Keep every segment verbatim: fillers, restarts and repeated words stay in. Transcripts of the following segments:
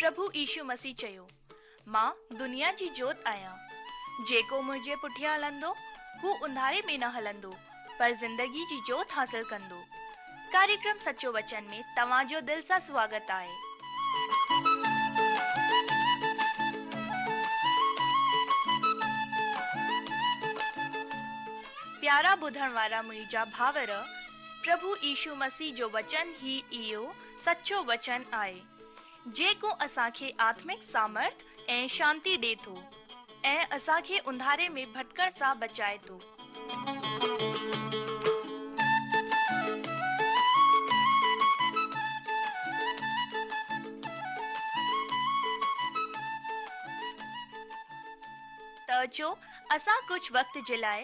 پرڀو يشو مسيح چيو، مان دنيا جي جوت آهيان. جيڪو منهنجي پٺيان هلندو، هو انڌاري ۾ نه هلندو، پر زندگي جي جوت حاصل ڪندو. ڪاريڪرم سچو وچن ۾ توهان جو دل سان سواگت آهي. پيارا ٻڌڻ وارا منهنجا ڀائر، پرڀو يشو مسيح جو وچن ئي اهو سچو وچن آهي، جيڪو اسان کي آتمڪ سامرٿ ۽ شانتي ڏي ٿو ۽ اسان کي انڌاري ۾ ڀٽڪڻ سان بچائي ٿو. ته اچو اسان ڪجهه وقت جي لاء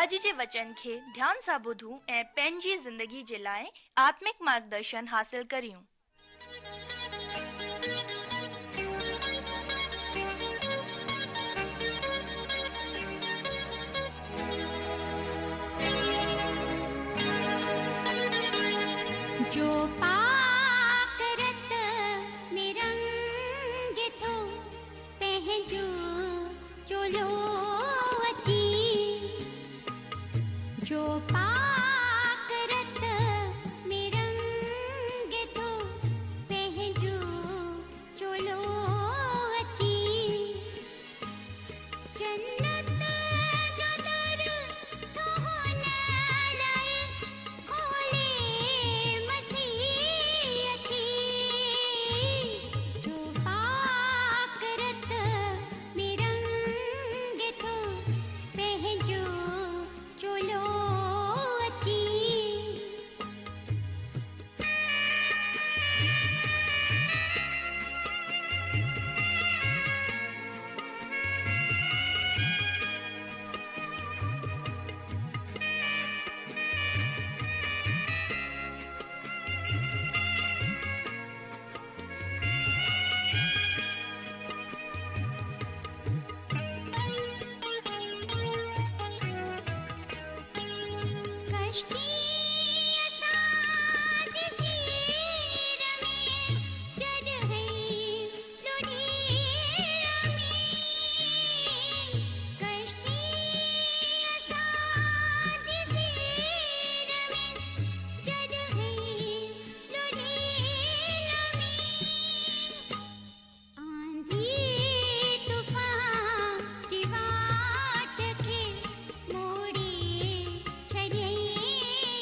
اڄ جي وچن کي ڌيان سان ٻڌون ۽ پنهنجي زندگي جي لاء آتمڪ مارگدرشن حاصل ڪريون. جو پاڪ رت ۾ رنگ ٿو پنهنجو چولو اچي، جو پاڪ رت ۾ رنگ ٿو پنهنجو چولو اچي، جنت جو در ٿو هن لاءِ کولي مسيح اچي، جو پاڪ رت ۾ رنگ ٿو پنهنجو چولو اچي. ڪشتي اسان جي سير ۾ جڏهن لڙي ۾، ڪشتي اسان جي سير ۾ جڏهن لڙي ۾، آنڌي طوفان جي واٽ کي موڙي ڇڏيائين.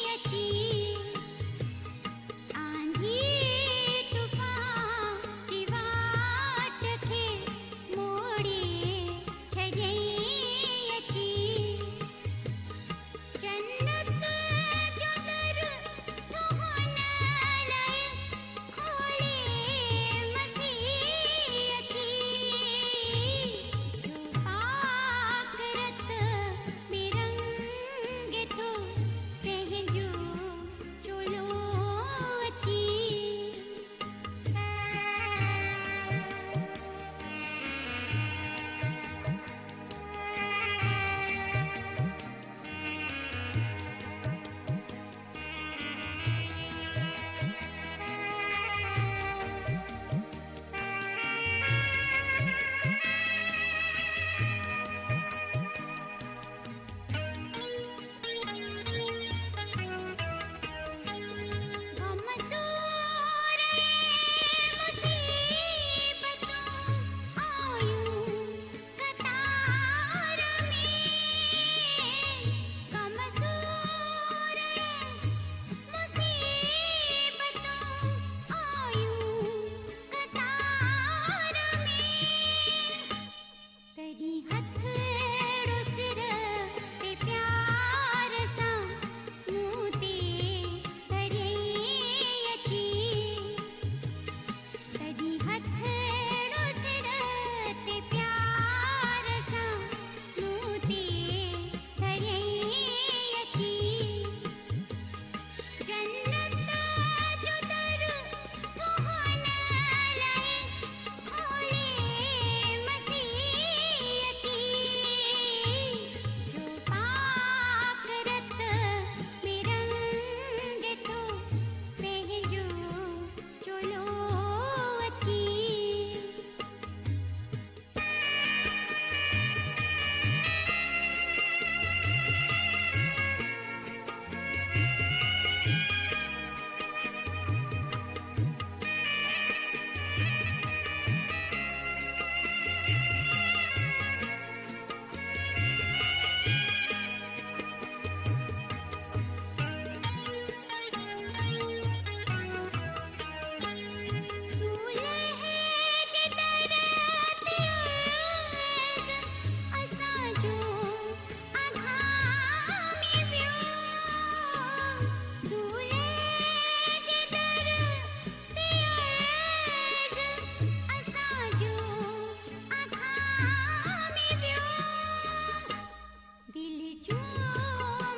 जूं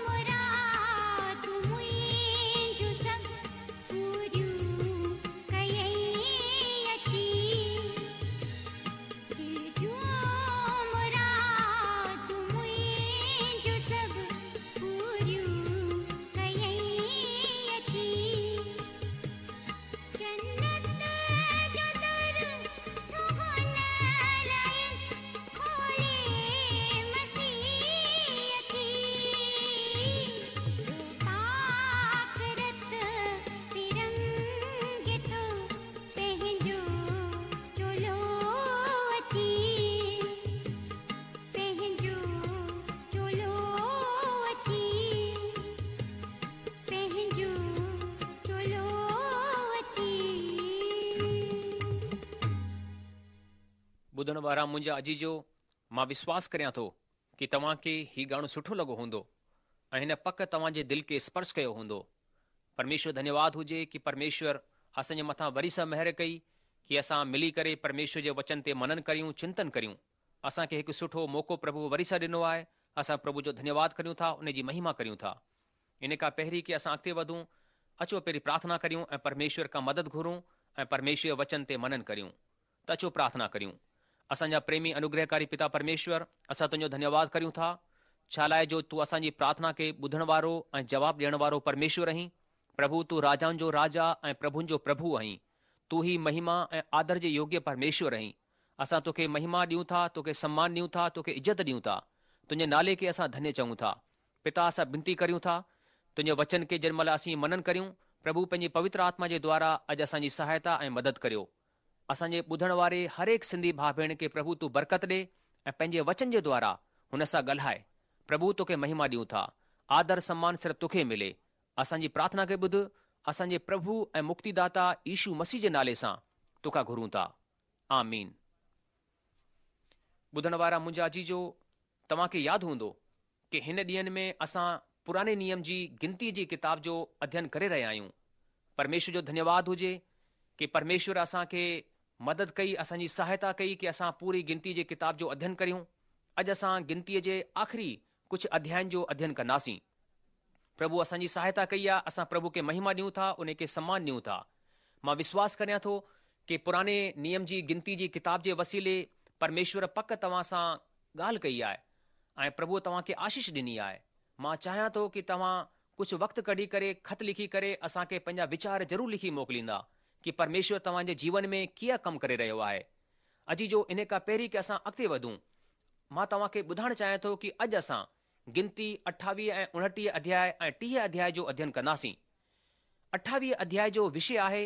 मुरादूं मुंहिंजूं सभु पूरियूं कयई अची। दिलि जूं मुरादूं मुंहिंजूं सभु पूरियूं कयई अची। जन्नत जो दर थो हुन लाइ खोले मसीह अची। जो पाक रत पिरंगे थो पंहिंजो चोलो अची, पंहिंजो चोलो अची, पंहिंजो चोलो अची। ॿुधण वारा मुंहिंजा अजीजो, मां विश्वास करियां थो की तव्हांखे ही गाणो सुठो लॻो हूंदो ऐं हिन पक तव्हांजे दिलि खे स्पर्श कयो हूंदो। परमेश्वर धन्यवाद हुजे की परमेश्वर असांजे मथां वरी सां महिर कई की असां मिली करे परमेश्वर जे वचन ते मनन करियूं, चिंतन करियूं। असांखे हिकु सुठो मौक़ो प्रभु वरी सां ॾिनो आहे। असां प्रभु जो धन्यवाद करियूं था, उन जी महिमा करियूं था। इन खां पहिरीं की असां अॻिते वधूं, अचो पहिरीं प्रार्थना करियूं ऐं परमेश्वर खां मदद घुरूं ऐं परमेश्वर जे वचन ते मनन करियूं। त अचो प्रार्थना करियूं। असांजा प्रेमी अनुग्रहकारी पिता परमेश्वर, असां तुंहिंजो धन्यवाद करियूं था, छा लाइ जो तूं असांजी प्रार्थना खे ॿुधण वारो ऐं जवाब ॾियण वारो परमेश्वर आहीं। प्रभु, तूं राजाउनि जो राजा ऐं प्रभुनि जो प्रभु आहीं। तूं ई महिमा ऐं आदर जे योग्य परमेश्वर आहीं। असां तोखे महिमा ॾियूं था, तोखे सम्मान ॾियूं था, तोखे इज़त ॾियूं था। तुंहिंजे नाले खे असां धन्य चऊं था। पिता, असां विनती करियूं था तुंहिंजे वचन खे जंहिं महिल असीं मनन करियूं, प्रभु पंहिंजी पवित्र आत्मा जे द्वारा अॼु असांजी सहायता ऐं मदद करियो। असांजे ॿुधण वारे हर हिकु सिंधी भाउ भेण खे प्रभु तूं बरकत ॾे ऐं पंहिंजे वचन जे द्वारा हुन सां ॻाल्हाए। प्रभु, तोखे महिमा ॾियूं था, आदर सम्मान सिर्फ़ तोखे मिले। असांजी प्रार्थना खे ॿुध, असांजे प्रभु ऐं मुक्तिदाता यीशु मसीह जे नाले सां तोखां घुरूं था, आमीन। ॿुधण वारा मुंहिंजा अजीजो, तव्हांखे यादि हूंदो की हिन ॾींहंनि में असां पुराणे नियम जी गिनती जी किताब जो अध्ययन करे रहिया आहियूं। परमेश्वर जो धन्यवाद हुजे की परमेश्वर असांखे मदद कई, असांजी सहायता कई की असां पूरी गिनती जे किताब जो अध्ययन करियूं। अॼु असां गिनतीअ जे आख़िरी कुझु अध्यायुनि जो अध्ययन कंदासीं। प्रभु असांजी सहायता कई आहे, असां प्रभु खे महिमा ॾियूं था, उन खे सम्मान ॾियूं था। मां विश्वास करियां थो की पुराणे नियम जी गिनती जी किताब जे वसीले परमेश्वर पक तव्हां सां ॻाल्हि कई आहे ऐं प्रभु तव्हांखे आशीष ॾिनी आहे। मां चाहियां थो की तव्हां कुझु वक़्तु कढी करे ख़त लिखी करे असांखे पंहिंजा वीचार ज़रूरु लिखी मोकिलींदा की परमेश्वर तव्हांजे जीवन में कीअं कमु करे रहियो आहे। अजीजो, इन खां पहिरीं की असां अॻिते वधूं, मां तव्हांखे ॿुधाइण चाहियां थो की अॼु असां गिनती अठावीह ऐं उणटीह अध्याय ऐं टीह अध्याय जो अध्ययन कंदासीं। अठावीह अध्याय जो विषय आहे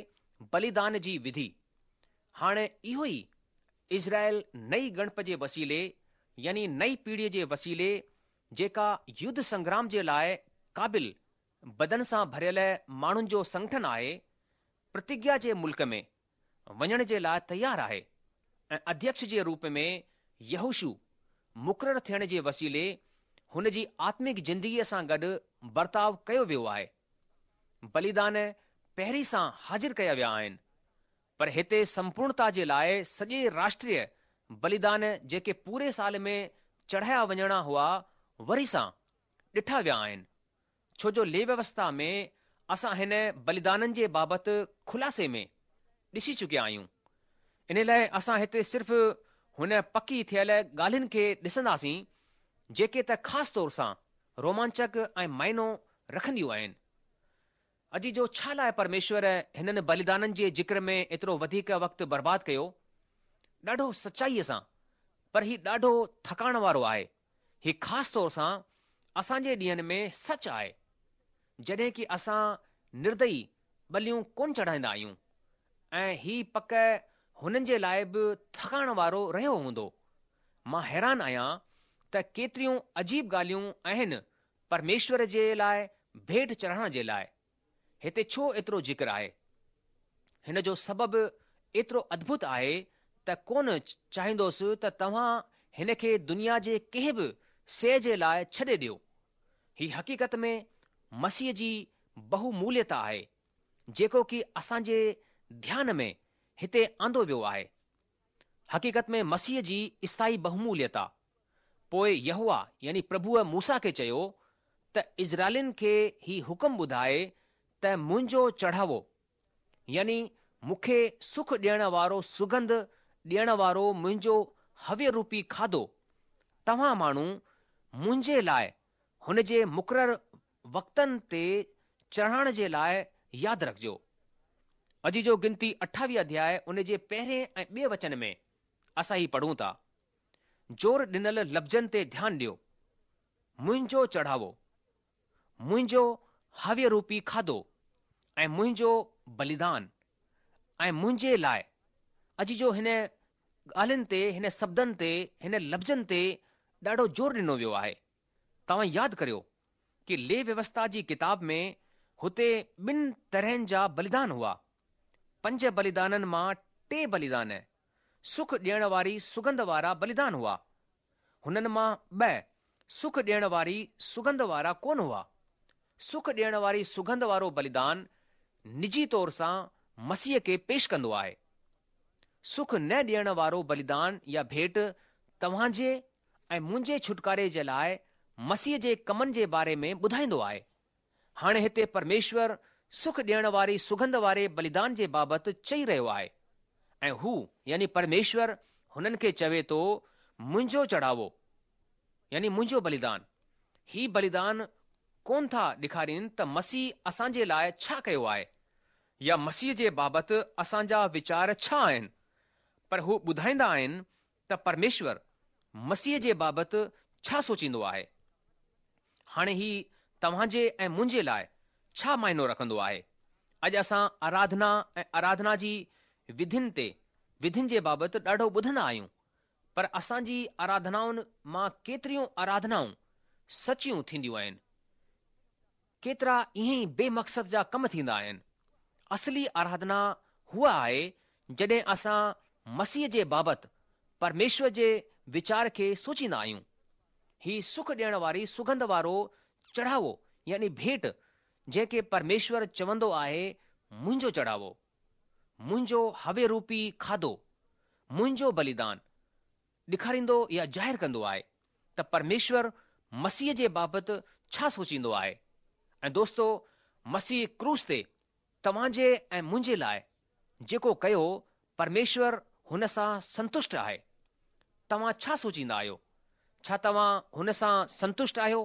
बलिदान जी विधि। हाणे इहो ई इज़राइल नई ॻणप जे वसीले यानी नई पीढ़ीअ जे वसीले जेका युद्ध संग्राम जे लाइ क़ाबिल बदन सां भरियल माण्हुनि जो संगठन आहे, प्रतिज्ञा जे मुल्क में वञण जे लाइ तयारु आहे ऐं अध्यक्ष जे रूप में यहोशू मुक़ररु थियण जे वसीले हुन जी आत्मिक ज़िंदगीअ सां गॾु बर्ताव कयो वियो आहे। बलिदान पहिरीं सां हाज़िर कया विया आहिनि, पर हिते संपूर्णता जे लाइ सॼे राष्ट्रीय बलिदान जेके पूरे साल में चढ़ाया वञणा हुआ वरी सां ॾिठा विया आहिनि, छो जो ले व्यवस्था में असां हिन बलिदाननि जे बाबति ख़ुलासे में ॾिसी चुकिया आहियूं। इन लाइ असां हिते सिर्फ़ हुन पकी थियल ॻाल्हियुनि खे ॾिसंदासीं जेके त ख़ासि तौर सां रोमांचक ऐं माइनो रखंदियूं आहिनि। अॼु जो छा लाइ परमेश्वर हिननि बलिदाननि जे ज़िक्र में एतिरो वधीक वक़्तु बर्बादु कयो? ॾाढो सचाईअ सां, पर ही ॾाढो थकाइण वारो आहे। ही ख़ासि तौर सां असांजे ॾींहंनि में सच आहे, जॾहिं की असां निर्दयी बलियूं कोन चढ़ाईंदा आहियूं ऐं ही पक हुननि जे लाइ बि थकाइण वारो रहियो हूंदो। मां हैरान आहियां त केतिरियूं अजीब ॻाल्हियूं आहिनि परमेश्वर जे लाइ भेंट चढ़ाइण जे लाइ। हिते छो एतिरो ज़िक्र आहे? हिन जो सबबु एतिरो अद्भुत आहे त कोन चाहींदोसि त तव्हां हिन खे दुनिया जे कंहिं बि शइ जे लाइ छॾे ॾियो। ही हक़ीक़त में मसीह जी बहुमूल्यता आहे, जेको की असांजे ध्यान में हिते आंदो वियो आहे। हक़ीक़त में मसीह जी स्थायी बहुमूल्यता। پوءِ يهوه يعني پرڀوء موسيٰ کي چيو ته اسرائيلين کي هي حڪم ٻڌائي ته منهنجو چڙهاوو يعني مون کي سک ڏيڻ وارو سڳنڌ ڏيڻ وارو منهنجو هويه روپي کاڌو توهان ماڻهو منهنجي لاء هن جي مقرر وقتن تي چڙهائڻ جي لاء ياد رکجو. عزيزو گنتي اٺاويهه اڌياء ان جي پهرين ۽ ٻئي وچن ۾ اسان هي پڙهون ٿا. زور ڏنل لفظن تي ڌيان ڏيو. منهنجو چڙهاوو، منهنجو هويه روپي کاڌو ۽ منهنجو بليدان ۽ منهنجي لاء. عزيزو هن ڳالهين تي، هن شبدن تي، هن لفظن تي ڏاڍو زور ڏنو ويو آهي. توهان ياد ڪريو ڪي ليويوسٿا جي ڪتاب ۾ هتي ٻن طرحن جا بليدان هئا. پنج بليدانن مان ٽي بليدان سک ڏيڻ واري سڳنڌ وارا بليدان هئا. هنن مان ٻه سک ڏيڻ واري سڳنڌ وارا ڪونه هئا. سک ڏيڻ واري سڳنڌ وارو بليدان نجي طور سان مسيح کي پيش ڪندو آهي. سک نه ڏيڻ وارو بليدان يا ڀيٽ توهان جي ۽ منهنجي ڇوٽڪاري جي لاء مسيح جي ڪمن جي باري ۾ ٻڌائيندو آهي. هاڻي هتي پرميشور سک ڏيڻ واري سڳنڌ واري بليدان جي بابت چئي رهيو آهي ۽ هو يعني پرميشور هنن کي چوي ٿو منهنجو چڙهاوو يعني منهنجو بليدان. هي بليدان ڪونه ٿا ڏيکارين ته مسيح اسان جي لاء ڇا ڪيو آهي يا مسيح جي بابت اسان جا ويچار ڇا آهن پر هو ٻڌائيندا آهن ته پرميشور مسيح جي بابت ڇا سوچيندو آهي. هاڻي هي توهان جي ۽ منهنجي لاء ڇا معنو رکندو آهي؟ اڄ اسان آراڌنا ۽ آراڌنا جي وڌين تي وڌين جي بابت ڏاڍو ٻڌندا آهيون، پر اسان جي آراڌنائن مان ڪيتريون آراڌنائون سچيون ٿينديون آهن؟ ڪيترا ائين ئي بي مقصد جا ڪم ٿيندا آهن. اصلي آراڌنا هوء آهي جڏهن اسان مسيح جي بابت پرميشور جي ويچار کي سوچيندا آهيون. هي سک ڏيڻ واري سڳنڌ وارو چڙهاوو يعني ڀيٽ جنهن کي پرميشور چوندو آهي منهنجو چڙهاوو، منهنجو هويه روپي کاڌو، منهنجو بليدان، ڏيکاريندو يا ظاهر ڪندو آهي ته پرميشور مسيح جي بابت ڇا سوچيندو آهي ۽ دوستو مسيح ڪروس تي توهان جي ۽ منهنجي لاء جيڪو ڪيو پرميشور هن سان سنتشٽ آهي. توهان ڇا سوچيندا آهيو؟ ڇا توهان هن سان سنتشٽ آهيو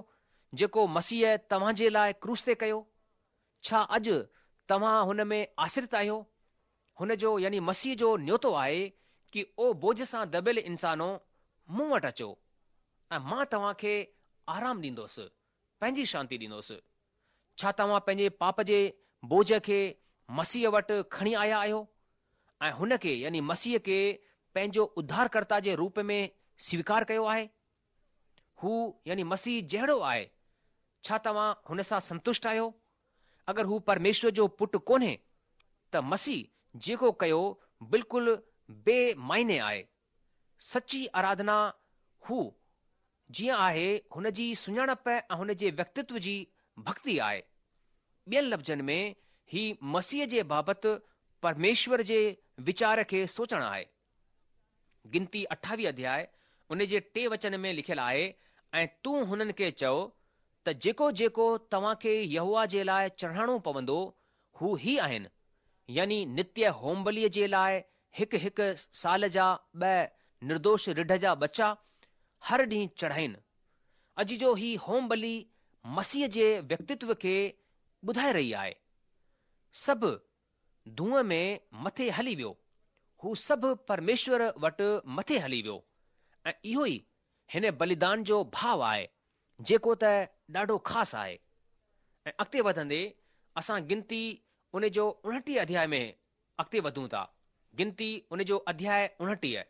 جيڪو مسيح توهان جي لاء ڪروس تي ڪيو؟ ڇا اڄ توهان هن ۾ آشرت آهيو؟ هن جو يعني مسيح جو نيوتو آهي ڪي او بوجه سان دٻيل انسانو مون وٽ اچو ۽ مان توهان کي آرام ڏيندوس، پنهنجي شانتي ڏيندوس. ڇا توهان پنهنجي پاپ جي بوجه کي مسيح وٽ کڻي آيا آهيو ۽ هن کي يعني مسيح کي پنهنجو اڌارڪرتا جي روپ ۾ سويڪار ڪيو آهي؟ هو يعني مسيح جهڙو آهي، ڇا توهان هن سان سنتشٽ آهيو؟ اگر هو پرميشور جو پٽ ڪونهي ته مسيح جيڪو ڪيو بلڪل بي معني آهي. سچي آراڌنا هو جيئن آهي هن جي سڃاڻپ ۽ هن جي ويڪتتو جي ڀڪتي آهي. ٻين لفظن ۾ هي مسيح جي بابت پرميشور جي ويچار کي سوچڻ آهي. گنتي اٺاويهه اڌياء ان جي ٽي وچن ۾ لکيل آهي ۽ تون هنن کي چئو ته جيڪو جيڪو توهان کي يهوه جي لاء چڙهائڻو پوندو هو هي آهن، يعني نتيه هومبليء جي لاء هڪ هڪ سال جا ٻه نردوش رڍ جا ٻچا هر ڏينهن چڙهائين. عزيزو هي هوم بلي مسيح جي ويڪتتو کي ٻڌائي رهي آهي. سڀ دونهن ۾ مٿي هلي ويو. هو سڀ پرميشور وٽ مٿي هلي ويو ۽ اهو ئي هن بليدان جو ڀاو آهي جيڪو ته ڏاڍو خاص آهي. ۽ اڳتي وڌندي اسان گنتي ان جو اڻٽيهه اڌياء ۾ اڳتي وڌون ٿا. گنتي ان جو اڌياء اڻٽيهه.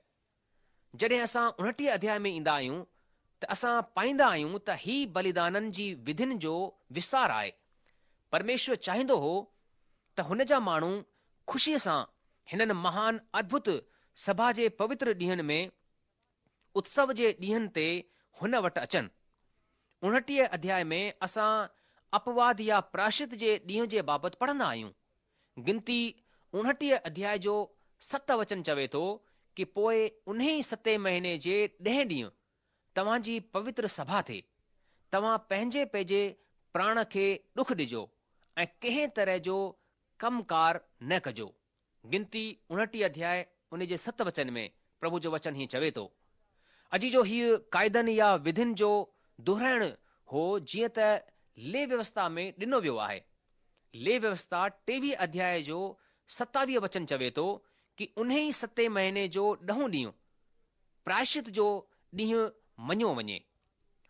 جڏهن اسان اڻٽيهه اڌياء ۾ ايندا آهيون ته اسان پائيندا آهيون ته هي بليدانن جي وڌين جو وستار آهي. پرميشور چاهيندو هو ته هن جا ماڻهو خوشيء سان هنن مهان ادڀت سڀا جي پوتر ڏينهن ۾ اتسو جي ڏينهن تي هن وٽ اچن. اڻٽيهه اڌياء ۾ اسان اپواد يا پراشچت جي ڏينهن جي بابت پڙهندا آهيون. گنتي اڻٽيهه اڌياء جو ست وچن چوي ٿو ڪي پوء انهي ستين مهيني جي ڏهين ڏينهن توهان جي پوتر سڀا ٿئي. توهان پنهنجي پنهنجي پراڻ کي ڏک ڏجو ۽ ڪنهن طرح جو ڪم ڪار نه ڪجو. گنتي اڻٽيهه اڌياء ان جي ست وچن ۾ پرڀو جو وچن هيئن چوي ٿو. عزيزو هيء قاعدن يا وڌين جو دهرائڻ هو جيئن ته ليويوسٿا ۾ ڏنو ويو آهي. ليويوسٿا ٽيويهه اڌياء جو ستاويهه وچن چوي ٿو ڪي انهي ستين مهيني جو ڏهون ڏينهن پراشچت جو ڏينهن مڃيو وڃي.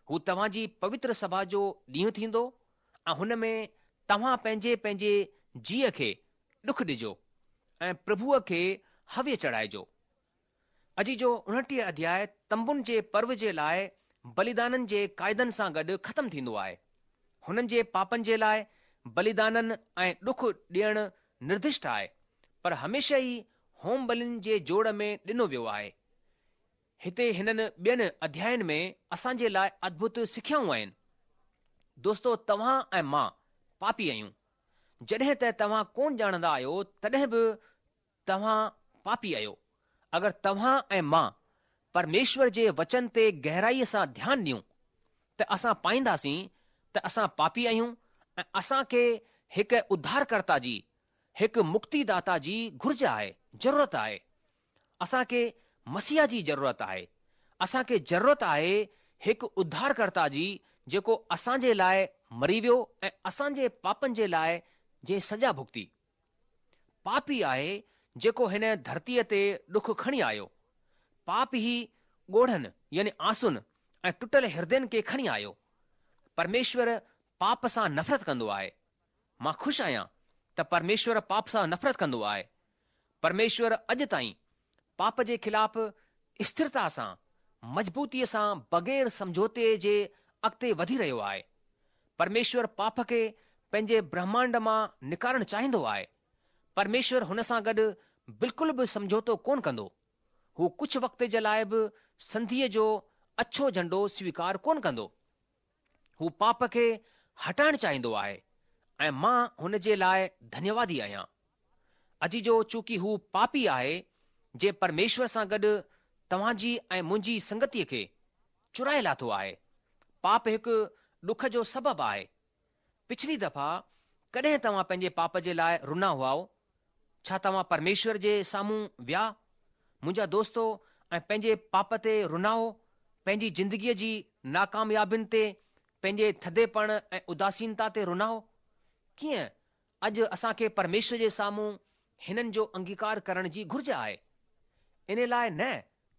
هو توهان جي پوتر سڀا جو ڏينهن ٿيندو ۽ هن ۾ توهان پنهنجي پنهنجي جيء کي ڏک ڏجو ۽ پرڀوء کي هويه چڙهائجو. عزيزو اڻٽيهه اڌياء تنبن جي پرو جي لاء بليدانن جي قاعدن سان گڏ ختم ٿيندو آهي. هنن جي پاپن جي لاء بليدانن ۽ ڏک ڏيڻ نردشٽ آهي، پر هميشه ئي هوم بلين جي جوڙ ۾ ڏنو ويو آهي. هتي هنن ٻين اڌيائن ۾ اسان جي لاء ادڀت سکيائون آهن. دوستو توهان ۽ مان پاپي آهيون. جڏهن ته توهان ڪونه ڄاڻندا آهيو تڏهن به توهان پاپي آهيو. اگر توهان ۽ مان پرميشور جي وچن تي گهرائيء سان ڌيان ڏيون ته اسان پائينداسين ته اسان پاپي آهيون ۽ اسان کي هڪ اڌارڪرتا جي، هڪ مڪتيداتا جي گهرج آهي، ضرورت آهي. اسان کي مسيح جي ضرورت آهي. اسان کي ضرورت آهي هڪ اڌارڪرتا جي جيڪو اسان جي لاء مري ويو ۽ اسان جي پاپن جي لاء جنهن سزا ڀڳتي. پاپ ئي آهي جيڪو هن ڌرتيء تي ڏک کڻي آيو. پاپ ئي ڳوڙهن يعني آنسن ۽ ٽٽل هردين کي کڻي آيو. پرميشور پاپ سان نفرت ڪندو آهي. مان خوش آهيان ته پرميشور پاپ سان نفرت ڪندو آهي. پرميشور اڄ تائين پاپ جي خلاف اسٿرتا سان، مضبوطيء سان بغير سمجهوتي جي اڳتي وڌي رهيو آهي. پرميشور پاپ کي پنهنجي برهمانڊ مان نڪارڻ چاهيندو آهي. پرميشور هن سان گڏ بلڪل به سمجهوتو ڪونه ڪندو. هو ڪجهه وقت جي لاء به سنڌيء جو اڇو جهنڊو سويڪار ڪونه ڪندو. هو پاپ کي هٽائڻ چاهيندو آهي ۽ مان هن جي لاء ڌنيوادي آهيان. عزيزو چونڪه هو پاپي آهي جنهن پرميشور سان گڏ توهان جي ۽ منهنجي سنگتيء کي چورائي لاٿو آهي. پاپ هڪ ڏک جو سبب آهي. پڇلي دفعا ڪڏهن توهان پنهنجي پاپ جي لاء رنا هئائو؟ ڇا توهان پرميشور جي سامهون ويا، منهنجا دوستو ۽ پنهنجي پاپ تي رنائو، پنهنجي زندگيء جي ناڪاميابين تي، پنهنجي ٿڌيپڻ ۽ اداسينتا تي رنائو؟ ڪيئن اڄ اسان کي پرميشور جي سامهون هنن جو انگيڪار ڪرڻ جي گهرج آهي؟ ان لاء نه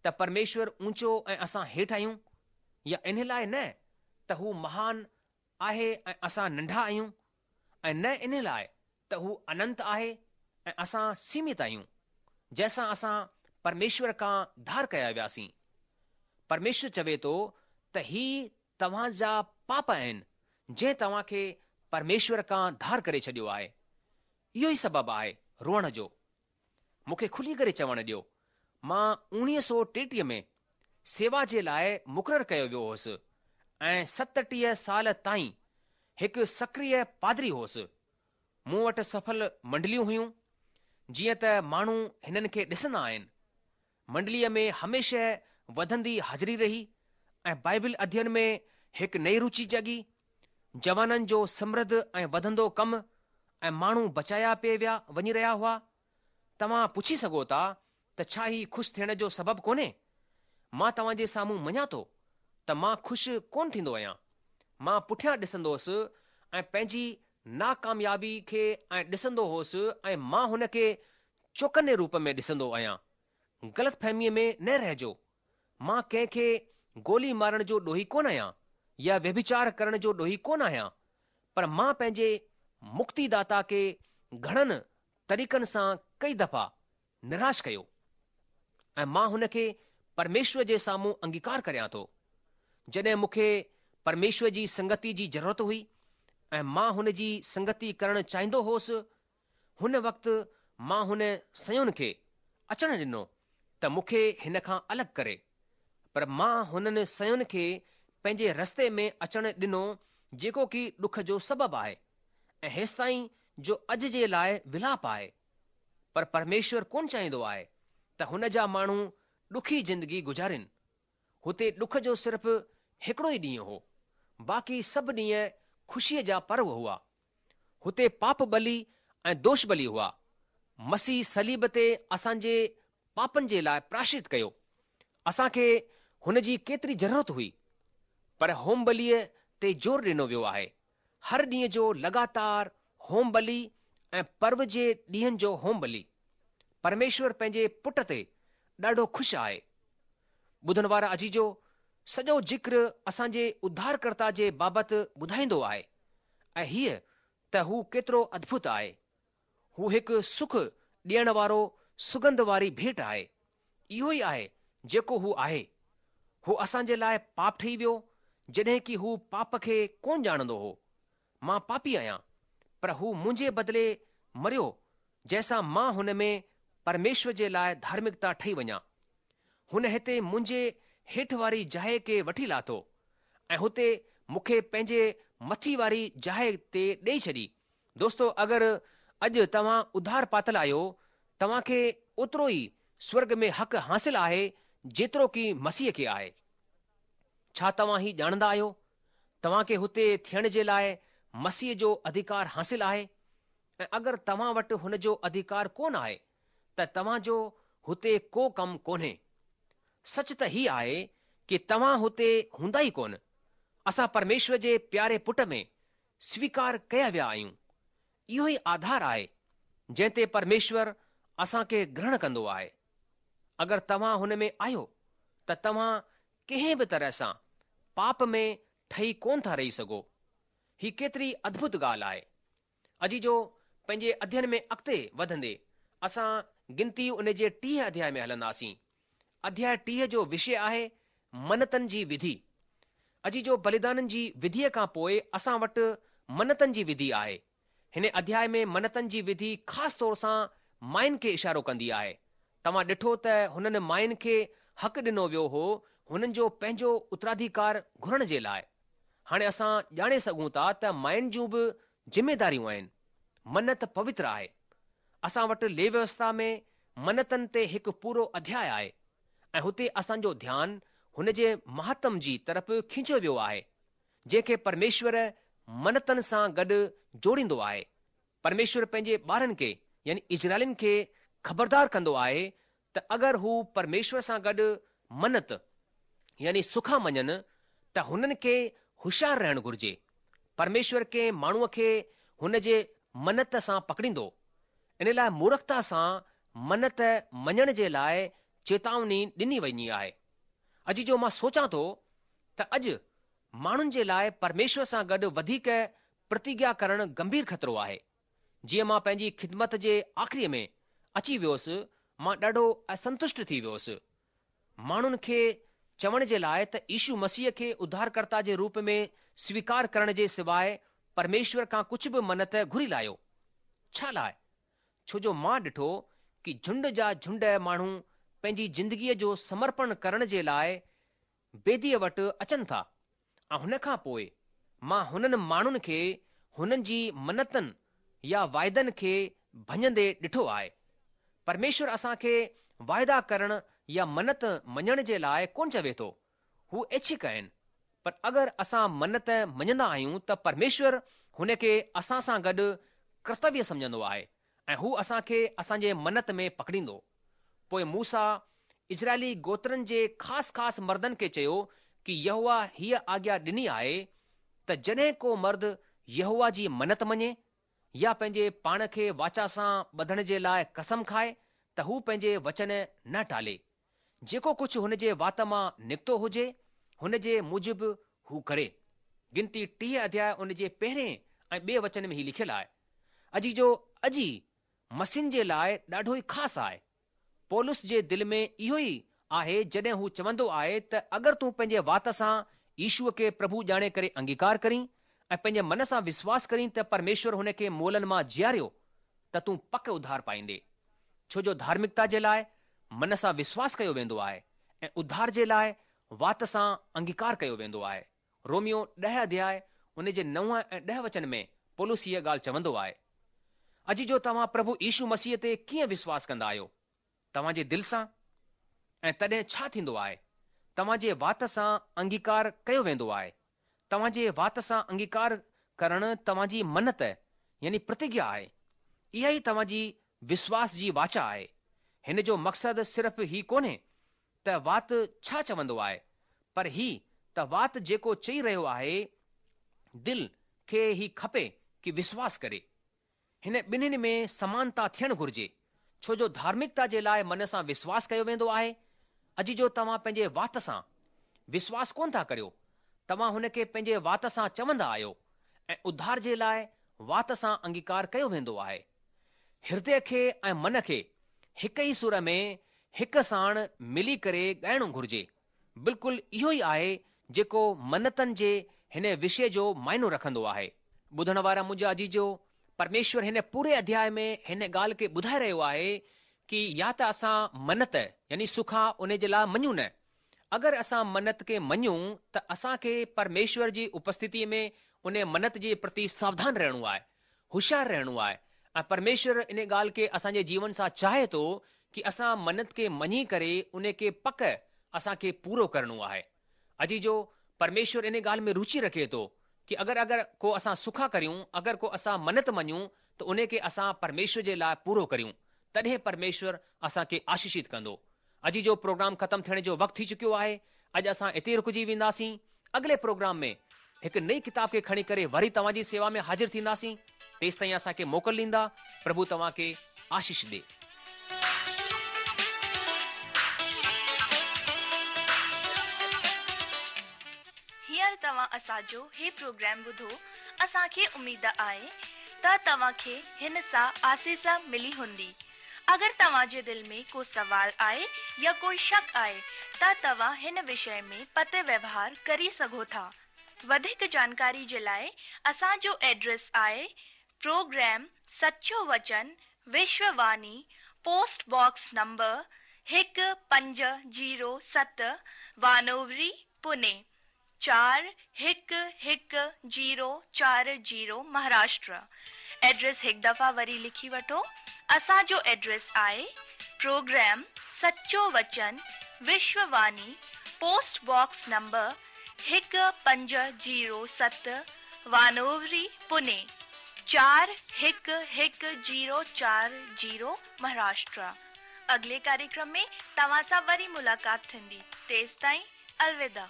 ته پرميشور اونچو ۽ اسان هيٺ آهيون يا ان لاء نه ته هو مهان آهي ۽ اسان ننڍا آهيون ۽ نه ان لاء ته هو اننت آهي ۽ اسان سيمت آهيون، جنهن سان اسان پرميشور کان ڌار ڪيا وياسين. پرميشور چوي ٿو ته هي توهان جا پاپ آهن جنهن توهان کي پرميشور کان ڌار ڪري ڇڏيو آهي. اهو ئي سبب آهي روئڻ جو. مون کي کلي ڪري چوڻ ڏيو، مان اوڻيهه سؤ ٽيٽيهه ۾ سيوا جي لاء مقرر ڪيو ويو هوس ۽ ستٽيهه سال تائين هڪ سڪريه پادري هوس. مون وٽ سڦل منڊليون هيون، جيئن ته ماڻهو هنن کي ڏسندا آهن. منڊليء ۾ هميشه وڌندي حاضري رهي ۽ بائبل اڌين ۾ هڪ نئين روچي جاڳي. جوانن جو سمرڌ ۽ وڌندو ڪم ۽ ماڻهو بچايا پئي ويا وڃي رهيا هئا. توهان پڇي سگهو ٿا ته ڇا هي خوش ٿيڻ جو سبب ڪونهي؟ مان توهان جي سامهون مڃان ٿو ته مان خوش ڪونه ٿيندو آهيان. مان پٺيان ڏسندو هوس ۽ پنهنجي ناڪاميابي کي ۽ ڏسندو هوس ۽ مان هن کي چوڪني روپ ۾ ڏسندو آهيان. غلط فهميء ۾ نه رهجو. مان ڪنهن کي گولي مارڻ جو ڏوهي ڪونه آهيان يا ويڀچار ڪرڻ جو ڏوهي ڪونه آهيان، پر مان پنهنجي مڪتيداتا کي گهڻن طريقن سان ڪئي دفعا نراش ڪيو ۽ مان هن کي پرميشور جي سامهون انگيڪار ڪريان ٿو. جڏهن مون کي پرميشور جي سنگتي جي ضرورت هئي ۽ مان هن جي سنگتي ڪرڻ چاهيندو هوس، هن وقت مان هن شين کي اچڻ ڏنو ته مون کي هن کان الڳ ڪري، پر مان هنن شين کي پنهنجي رستي ۾ اچڻ ڏنو جيڪو ڪي ڏک جو سبب آهي ۽ هيستائين جو اڄ جي لاء ولاپ آهي. پر پرميشور ڪونه چاهيندو آهي ته هن جا ماڻهو ڏکي زندگي گذارين. هتي ڏک جو صرف هڪڙو ئي ڏينهن هو، باقي سڀ ڏينهن خوشيء جا پرو هئا. هتي پاپ ٻلي ۽ دوش ٻلي هئا. مسيح صليب تي اسان جي پاپن جي لاءِ پراشچت ڪيو. اسان کي هن جي ڪيتري ضرورت هئي. پر هوم ٻليءَ تي زور ڏنو ويو آهي. هر ڏينهن جو لڳاتار هوم ٻلي ۽ پرو جي ڏينهن جو هوم ٻلي. پرميشور پنهنجي پٽ تي ڏاڍو خوش آهي. ٻڌڻ وارا عزيزو، سڄو ذڪر اسان جي اڌارڪرتا جي بابت ٻڌائيندو آهي ۽ هيءَ ته هو ڪيترو ادڀت آهي. هو هڪ سک ڏيڻ وارو سڳنڌ واري ڀيٽ آهي. اهو ئي آهي جيڪو هو آهي. هو اسان جي لاءِ پاپ ٺهي ويو، جڏهن ڪه هو پاپ کي ڪونه ڄاڻندو هو. مان پاپي آهيان، پر هو منهنجي بدلي مريو، جنهن سان مان هن ۾ پرميشور جي لاءِ ڌارمڪتا ٺهي وڃان. هن هتي منهنجي هيٺ واري جاءِ کي وٺي لاٿو ۽ هتي مون کي پنهنجي مٿي واري جاءِ تي ڏيئي ڇڏي. دوستو، اگر اڄ توهان اڌار پاتل آهيو، توهان کي اوترو ئي سورگ ۾ حق حاصل آهي جيترو ڪه مسيح کي آهي. ڇا توهان هي ڄاڻندا آهيو؟ توهان کي هتي ٿيڻ جي لاءِ مسيح جو اڌڪار حاصل آهي ۽ اگر توهان وٽ هن جو اڌڪار ڪونه آهي ته توهان جو هتي ڪو ڪم ڪونهي. سچ ته هي آهي ڪه توهان هتي هوندا ئي ڪونه. اسان پرميشور جي پياري پٽ ۾ سويڪار ڪيا ويا آهيون. اهو ئي آڌار آهي جنهن تي پرميشور اسان کي گرهڻ ڪندو آهي. اگر توهان هن ۾ آهيو ته توهان ڪنهن به طرح سان پاپ ۾ ٺهي ڪونه ٿا رهي سگهو. هي ڪيتري ادڀت ڳالهه آهي. عزيزو، پنهنجي اڌيين ۾ اڳتي وڌندي اسان گنتي ان جي ٽيهه اڌياءِ ۾ هلنداسين. اڌياءِ ٽيهه جو وشي آهي منتن جي وڌي. عزيزو، بليدانن جي وڌيءَ کان پوءِ اسان وٽ منتن جي وڌي آهي. هن اڌياءِ ۾ منتن جي وڌي خاص طور سان ماين کي اشارو ڪندي آهي. توهان ڏٺو ته هنن ماين کي حق ڏنو ويو هو هنن جو پنهنجو اتراڌڪار گهرڻ جي لاءِ. هاڻي اسان ڄاڻي سگهون ٿا ته ماين جون به ذميداريون آهن. منت پوتر آهي. اسان وٽ ليوي ويوسٿا ۾ منتن تي هڪ پورو اڌياءِ آهي ۽ هتي اسان جو ڌيان هن جي مهاتم جي طرف کينچيو ويو آهي، جنهن کي پرميشور منتن سان گڏ جوڙيندو آهي. پرميشور پنهنجي ٻارن کي يعني اسرائيلين کي خبردار ڪندو آهي ته اگر هو پرميشور سان گڏ منت يعني سکا مڃن ته هنن کي هوشيار رهڻ گهرجي. پرميشور ڪنهن ماڻهوءَ کي هن جي منت سان پڪڙيندو. ان لاءِ مورکتا سان منت مڃڻ جي لاءِ چيتاوني ڏني وڃي آهي. عزيزو، مان سوچان ٿو ته اڄ ماڻهن جي لاءِ پرميشور سان گڏ وڌيڪ پرتگيا ڪرڻ گنڀير خطرو آهي. جيئن مان پنهنجي خدمت جي آخريءَ ۾ اچي ويوس، مان ڏاڍو اسنتشٽ ٿي ويوس. ماڻهن کي چوڻ جي لاءِ ته يشو مسيح کي اڌارڪرتا جي روپ ۾ سويڪار ڪرڻ جي سواءِ پرميشور کان ڪجهه به منت گهري لاهيو. ڇا لاءِ؟ ڇو جو مان ڏٺو ڪه جهنڊ جا جهنڊ ماڻهو پنهنجي زندگيءَ جو سمرپڻ ڪرڻ جي لاءِ بيديءَ وٽ اچن ٿا ۽ هن کان پوءِ مان هنن ماڻهن کي هنن جي منتن يا واعدن کي ڀڃندي ڏٺو آهي. پرميشور اسان کي واعدا ڪرڻ يا منت مڃڻ جي لاءِ ڪونه چوي ٿو. هو اڇڪ آهن. پر اگر اسان منت مڃندا آهيون ته پرميشور هن کي اسان سان گڏ ڪرتويه سمجهندو آهي ۽ هو اسان کي اسان جي منت ۾ پڪڙيندو. پوءِ موسيٰ اسرائيلي گوترن جي خاص خاص مردن کي چيو ڪه يهوه هيءَ آگيا ڏني آهي ته جڏهن ڪو مرد يهوه جي منت مڃي يا پنهنجي پاڻ کي واچا سان ٻڌڻ جي لاءِ قسم کائي ته هو پنهنجي وچن نه ٽالي. جيڪو ڪجهه هن جي وات مان نڪتو هجي هن جي موجب هو ڪري. گنتي ٽيهه اڌياءِ ان جي پهرين ۽ ٻئي وچن ۾ هي لکيل آهي. عزيزو، اڄ مسيحن جي لاءِ ڏاڍو ئي خاص آهي. پولس جي دل ۾ اهو ئي آهي جڏهن هو چوندو آهي ته اگر تون پنهنجي وات سان يشوءَ کي پرڀو ڄاڻي ڪري انگيڪار ڪرين ۽ پنهنجي من سان وشواس ڪرين ته پرميشور هن کي مئلن مان جياريو ته تون پڪ اڌار پائيندي. ڇو جو ڌارمڪتا جي لاءِ من سان وشواس ڪيو ويندو آهي ۽ اڌار جي لاءِ وات سان انگيڪار ڪيو ويندو آهي. روميو ڏهه اڌياءِ ان جي نو ۽ ڏهه وچن ۾ پولس هيءَ ڳالهه چوندو آهي. عزيزو، توهان پرڀو يشو مسيح تي ڪيئن وشواس ڪندا آهيو؟ توهان جي دل سان. ۽ تڏهن ڇا ٿيندو آهي؟ توهان جي وات سان انگيڪار ڪيو ويندو آهي. توهان جي وات سان انگيڪار ڪرڻ توهان جي منت يعني پرتگيا آهي. اها ئي توهان جي وشواس جي واچا آهي. هن جو مقصد صرف هي ڪونهي ته وات ڇا چوندو آهي، پر هي ته وات جيڪو چئي رهيو آهي، دل کي هي کپي ڪه وشواس ڪري. هن ٻنهين ۾ سمانتا ٿيڻ گهرجي، ڇو جو ڌارمڪتا جي لاء من سان وشواس ڪيو ويندو آهي. عزيزو توهان پنهنجي وات سان وشواس ڪونه ٿا ڪريو، توهان هن کي پنهنجي وات سان چوندا آهيو ۽ اڌار جي لاء وات سان انگيڪار ڪيو ويندو آهي. هردي کي ۽ من کي هڪ ئي سر ۾ هڪ ساڻ ملي ڪري ڳائڻو گهرجي. بلڪل اهو ئي آهي جيڪو منتن جي هن وشي جو معنو رکندو آهي. ٻڌڻ وارا منهنجا عزيزو، پرميشور هن پوري اڌياء ۾ هن ڳالهه کي ٻڌائي رهيو آهي ڪه يا ته اسان منت يعني سکا ان جي لاء مڃون نه. اگر اسان منت کي مڃون ته اسان کي پرميشور جي اپسٿتي ۾ ان منت جي پرتي ساوڌان رهڻو آهي، هوشيار رهڻو آهي ۽ پرميشور ان ڳالهه کي اسان جي جيون سان چاهي ٿو ڪه اسان منت کي مڃي ڪري ان کي پڪ اسان کي پورو ڪرڻو آهي. عزيزو، پرميشور ان ڳالهه ۾ روچي رکي ٿو ڪه اگر اگر ڪو اسان سکا ڪريون، اگر ڪو اسان منت مڃون ته ان کي اسان پرميشور جي لاء پورو ڪريون، تڏهن پرميشور اسان کي آشيشت ڪندو. عزيزو، پروگرام ختم ٿيڻ جو وقت ٿي چڪيو آهي. اڄ اسان اتي ئي رڪجي وينداسين. اڳلي پروگرام ۾ هڪ نئين ڪتاب کي کڻي ڪري وري توهان جي سيوا ۾ حاضر ٿينداسين. تيستائين اسان کي موڪل ڏيندا. پرڀو توهان کي آشيش ڏي. هينئر توهان اسان جو هي پروگرام ٻڌو، اسان کي اميد آهي ته توهان کي هن سان آسيس ملي هوندي. اگر توهان جي دل ۾ ڪو سوال آهي يا ڪوئي شڪ آهي ته توهان هن وشي ۾ پتر ويوهار ڪري سگهو ٿا. وڌيڪ جانڪاري جي لاءِ اسان جو ايڊريس آهي پروگرام سچو وچن وشوواني، پوسٽ باڪس نمبر هڪ پنج زيرو ست، وانووري، پوني چار هڪ هڪ زيرو چار زيرو، مهاراشٽر. ايڊريس هڪ دفعا وري لکي وٺو. اسان جو ايڊريس آهي پروگرام سچو وچن وشوواني، پوسٽ باڪس نمبر هڪ پنج زيرو ست، وانووري، پوني چار هڪ هڪ زيرو چار زيرو، مهاراشٽر. اڳلي ڪاريڪرم ۾ توهان سان وري ملاقات ٿيندي. تيستائين الوداع.